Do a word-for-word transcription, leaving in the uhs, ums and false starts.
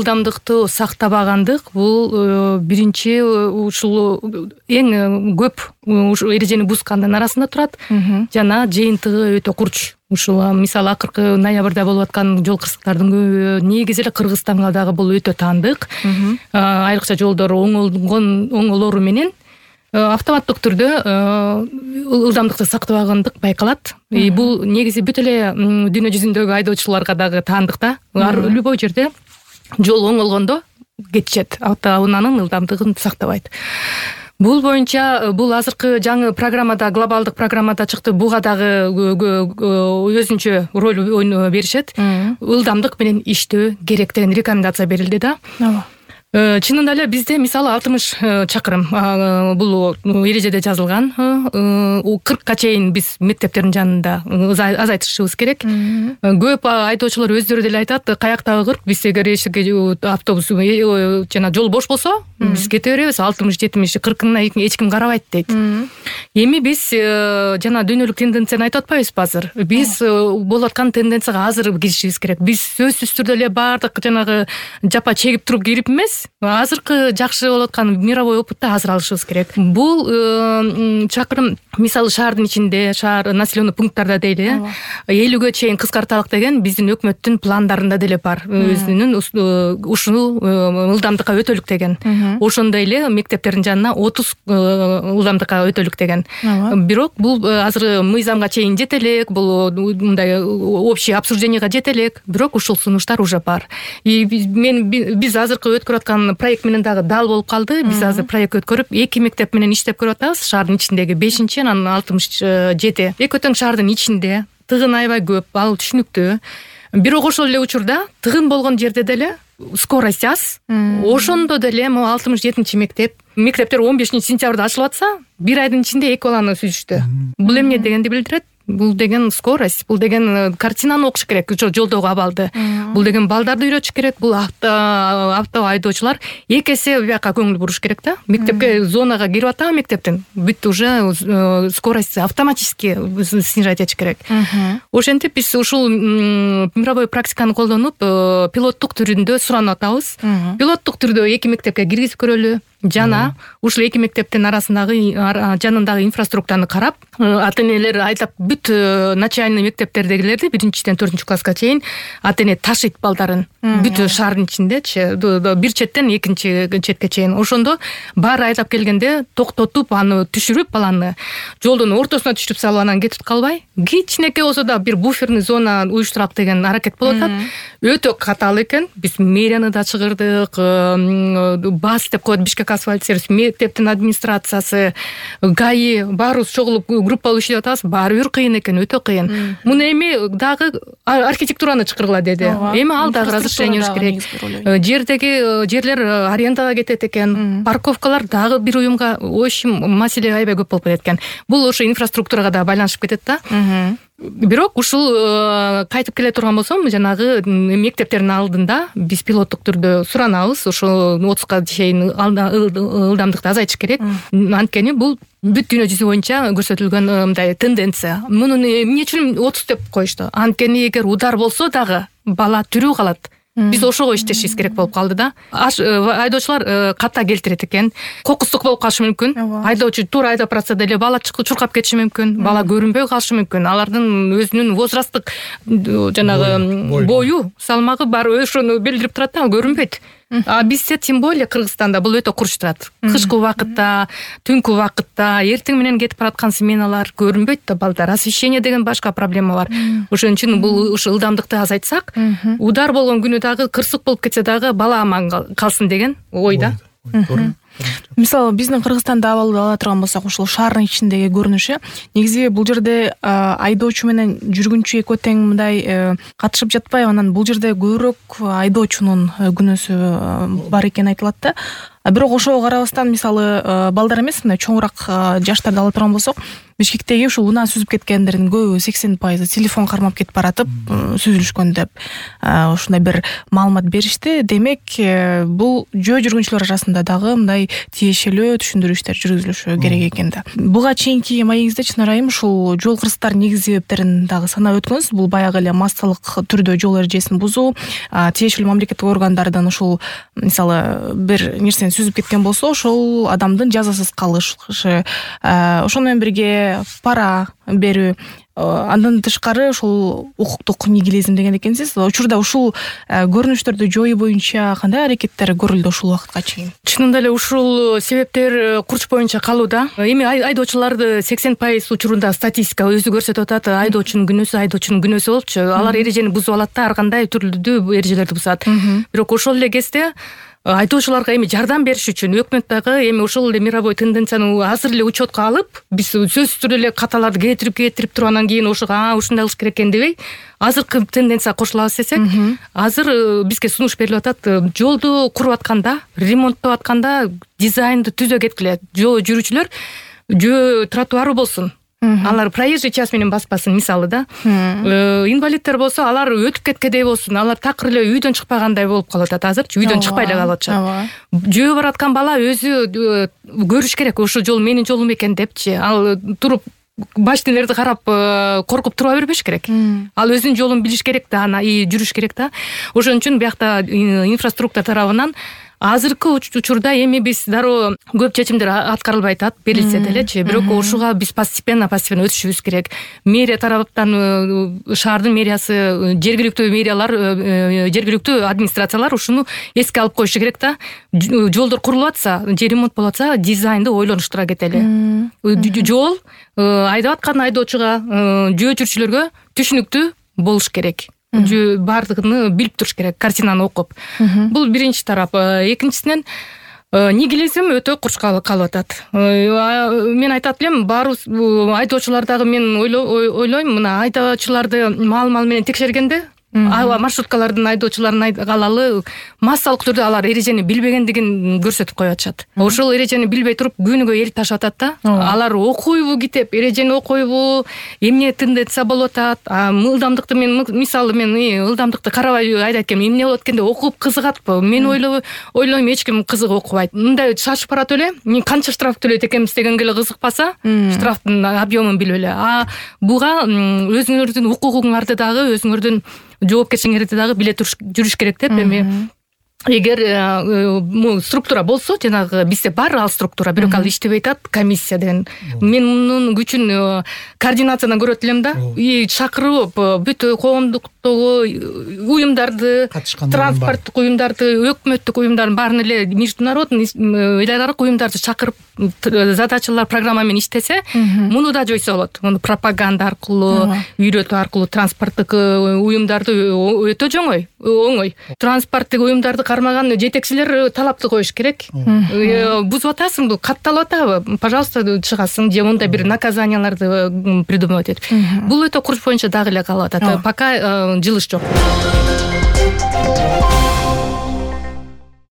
ылдамдыкты сактабагандык бул биринчи ушул эң көп ушул эрежени бузгандын арасында турат. Жана жыйынтыгы өтө курч. Ушул мисалы акыркы ноябрда болуп аткан жол кырсыктардын көбү негизи эле Кыргызстанга дагы бул өтө таандык. Айрыкча жолдор оңолгон оңолору менен автоматтык түрдө ылдамдыкты сактабагандык байкалат. Бул негизи бүт эле дүйнө жүзүндөгү айдоочуларга дагы таандык да. Любой жерде жол оңолгондо кетишет, автоунаанын ылдамдыгын сактабайт. Бул боюнча бул азыркы жаңы программада, глобалдык программада чыкты. Буга дагы өзүнчө роль беришет. Ылдамдык менен иштөө керек деген рекомендация берилди да. Чынында эле бизде мисалы алтымыш чакырым бул эрежеде жазылган. кыркка чейин биз мектептердин жанында азайтышыбыз керек. Көп айдоочулар өздөрү деле айтат, каяктагы кырк, биз эгер автобус жана жол бош болсо, биз кете беребиз, алтымыш жетимиш кыркына эч ким карабайт дейт. Эми биз жана дүйнөлүк тенденцияны айтып атпайбызбы азыр? Биз болуп аткан тенденцияга азыр киришибиз керек. Биз сөзсүз түрдө эле баардык жанагы жапа чегип туруп кирип эмес, азыркы жакшы болуп аткан мировой опытты азыр алышыбыз керек. Бул чакырым мисалы шаардын ичинде, шаар населенный пункттарда дейли, элүүгө чейин кыскарталык деген биздин өкмөттүн пландарында деле бар. Өзүнүн ушул ылдамдыкка өтөлүк деген. Ошондой эле мектептердин жанына отуз ылдамдыкка өтөлүк деген. Бирок бул азыр мыйзамга чейин жете элек, бул мындай общий обсужденияга жете элек, бирок ушул сунуштар уже бар. И мен биз азыркы өткөрүп аткан проект менен дагы дал болуп калды. Биз азыр проект өткөрүп эки мектеп менен иштеп көрүп атабыз. Шаардын ичиндеги бешинчи, анан алтымыш жети. Экөө тең шаардын ичинде, тыгын аябай көп, ал түшүнүктүү. Бирок ошол эле учурда тыгын болгон жерде деле скорость аз. Ошондо деле могу алтымыш жетинчи мектеп, мектептер он бешинчи сентябрда ачылып атса, бир айдын ичинде эки баланы сүзүштү. Бул эмне дегенди билдирет? Бул деген скорость, бул деген картинаны окуш керек, жолдогу абалды. Бул деген балдарды үйрөтүш керек, бул авто айдоочулар эки эсе бияка көңүл буруш керек да. Мектепке зонага кирип атабы мектептен, бүт уже скорость автоматически снижать этиш керек. Ошентип биз ушул мировой практиканы колдонуп, пилоттук түрүндө суранып атабыз. Пилоттук түрдө эки мектепке киргизип көрөлү. Жана ушул эки мектептин арасындагы жанындагы инфраструктураны карап, ата-энелер айдап бүт начальный мектептердегилерди биринчиден төртүнчү класска чейин ата-эне ташыйт балдарын. Бүт шаардын ичиндечи, бир четтен экинчи четке чейин. Ошондо баары айдап келгенде токтотуп, аны түшүрүп, баланы жолдун ортосуна түшүрүп салып, анан кетип калбай, кичинекей болсо да бир буферный зона уюштурак деген аракет болуп атат. Өтө катаал экен. Биз мэрияны да чыгырдык, БАС деп коет, Бишкек асфальт сервис, мектептин администрациясы, ГАИ баарыбыз чогулуп группалуу иштеп атабыз. Баары бир кыйын экен, өтө кыйын. Муну эми дагы архитектураны чыгаргыла деди. Эми ал дагы разрешение керек. Жердеги жерлер арендага кетет экен. Парковкалар дагы бир уюмга, в общем, маселе аябай көп болуп кетет экен. Бул ошо инфраструктурага да байланышып кетет да. Бирок ушул кайтып келе турган болсом, жанагы мектептердин алдында биз пилоттук түрдө суранабыз, ошо отузга чейин ылдамдыкты азайтыш керек. Анткени бул бүт дүйнө жүзү боюнча көрсөтүлгөн мындай тенденция. Муну эмне үчүн отуз деп коюшту? Анткени эгер удар болсо дагы бала тирүү калат. Биз ошого иштешибиз керек болуп калды да. Айдоочулар ката келтирет экен. Кокустук болуп калышы мүмкүн. Айдоочу туура айдап баратса деле бала чуркап кетиши мүмкүн. Бала көрүнбөй калышы мүмкүн. Алардын өзүнүн возрасттык жанагы бою, салмагы бар, ошону билдирип турат да, көрүнбөйт. А бизде тем более Кыргызстанда бул өтө курч турат. Кышкы убакытта, түнкү убакытта, эртең менен кетип бараткан сменалар көрүнбөйт да балдар. Освещение деген башка проблема бар. Ошон үчүн бул ушул ылдамдыкты азайтсак, удар болгон күнү дагы кырсык болуп кетсе дагы бала аман калсын деген ой да. Мисалы биздин Кыргызстанда абалды ала турган болсок, ушул шаардын ичиндеги көрүнүшү негизи бул жерде айдоочу менен жүргүнчү экөө тең мындай катышып жатпайбы? Анан бул жерде көбүрөөк айдоочунун күнөөсү бар экени айтылат да. бирок ошого карабастан мисалы балдар эмес, мына чоңураак жаштарды ала турган болсок, Бишкектеги ушул унаа сүзүп кеткендердин көбү сексен пайызы телефон кармап кетип баратып сүзүлүшкөн деп ушундай бир маалымат беришти. Демек, бул жөө жүргүнчүлөр арасында дагы мындай тиешелүү түшүндүрүү жүргүзүлүшү керек экен да. Буга чейинки маегиңизде Чынар айым ушул жол кырсыктардын негизги себептерин дагы санап өткөнсүз. Бул баягы эле массалык түрдө жол эрежесин бузуу, тиешелүү мамлекеттик органдардын ушул мисалы бир нерсени сүзүп кеткен болсо, ошол адамдын жазасыз калышы, ошону менен бирге пара берүү, андан тышкары ушул укуктук нигилизм деген экенсиз. Учурда ушул көрүнүштөрдү жоюу боюнча кандай аракеттер көрүлдү ушул убакытка чейин? Чынында эле ушул себептер курч боюнча калууда. Эми айдоочуларды сексен пайыз учурунда статистика өзү көрсөтүп атат. Айдоочунун күнөөсү, айдоочунун күнөөсү болупчу. Алар эрежени бузуп алат да, ар кандай түрлүү эрежелерди бузат. Бирок ошол эле кезде айдоочуларга эми жардам бериш үчүн өкмөт дагы эми ошол эле мировой тенденцияны азыр эле учетко алып, биз сөзсүз түрдө эле каталарды кетирип кетирип туруп анан кийин ошого а ушундай кылыш керек экен дебей, азыркы тенденция кошулабыз десек, азыр бизге сунуш берилип атат. Жолду куруп атканда, ремонттоп атканда дизайнды түзө кеткиле. Жол жүрүүчүлөр жөө тротуары болсун. Алар проезжий часть менен баспасын, мисалы да. Инвалидтер болсо, алар өтүп кеткендей болсун, алар такыр эле үйдөн чыкпагандай болуп калып атат азырчы, үйдөн чыкпай эле калып атышат. Жөө бараткан бала өзү көрүш керек, ошол жол менин жолум экен депчи. Ал туруп машиналерди карап коркуп тура бербеш керек. Ал өзүнүн жолун билиш керек да, ана жүрүш керек да. Ошон үчүн биякта инфраструктура тарабынан азыркы учурда эми биз дароо көп чечимдер аткарылбай атат, берилсе делечи, бирок ушуга биз постепенно постепенно өтүшүбүз керек. Мэрия тараптан, шаардын мэриясы, жергиликтүү мэриялар, жергиликтүү администрациялар ушуну эске алып коюшу керек да. Жолдор курулуп атса, же ремонт болуп атса, дизайнды ойлонуштура кетели. Жол айдап аткан айдоочуга, жөө жүрүүчүлөргө түшүнүктүү болуш керек. Бардыгын билип туруш керек, картинаны окуп. Бул биринчи тарап. Экинчисинен нигилизм өтө курч калып атат. Мен айтат элем, баарыбыз айдоочулар дагы мен ойлойм, мына айдоочуларды маал-маал менен текшергенде, маршруткалардын айдоочуларын алалы, массалык түрдө алар эрежени билбегендигин көрсөтүп коюп атышат. Ошол эрежени билбей туруп күнүгө эл ташып атат да. Алар окуйбу китеп, эрежени окуйбу, эмне тенденция болуп атат, ылдамдыкты мен мисалы мен ылдамдыкты карабай айдайт экенмин, эмне болот экен деп окуп кызыгатпы? Мен ойлойм, эч ким кызыгып окубайт. Мындай шашып баратып эле, мен канча штраф төлөйт экенбиз дегенге эле кызыкпаса, штрафтын объемун билип эле. А буга өзүңөрдүн укугуңарды дагы, өзүңөрдүн жоопкерчилигиңерди дагы биле жүрүш керек деп эми эгер структура болсо, жанагы бизде бар ал структура, бирок ал иштебей атат, комиссия деген. Мен мунун күчүн координациядан көрөт элем да. И чакырып бүт коомдуктогу уюмдарды, транспорттук уюмдарды, өкмөттүк уюмдардын баарын эле международный эл аралык уюмдарды чакырып задачалар, программа менен иштесе, муну да жойсо болот. Муну пропаганда аркылуу, үйрөтүү аркылуу транспорттук уюмдарды өтө жоңой, оңой. Транспорттук уюмдарды кармаган жетекчилер талапты коюш керек. Бузуп атасың, бул катталып атабы? Пожалуйста, чыгасың, же мындай бир наказанияларды придумать этип. Бул өтө курч боюнча дагы эле калып атат. Пока жылыш жок.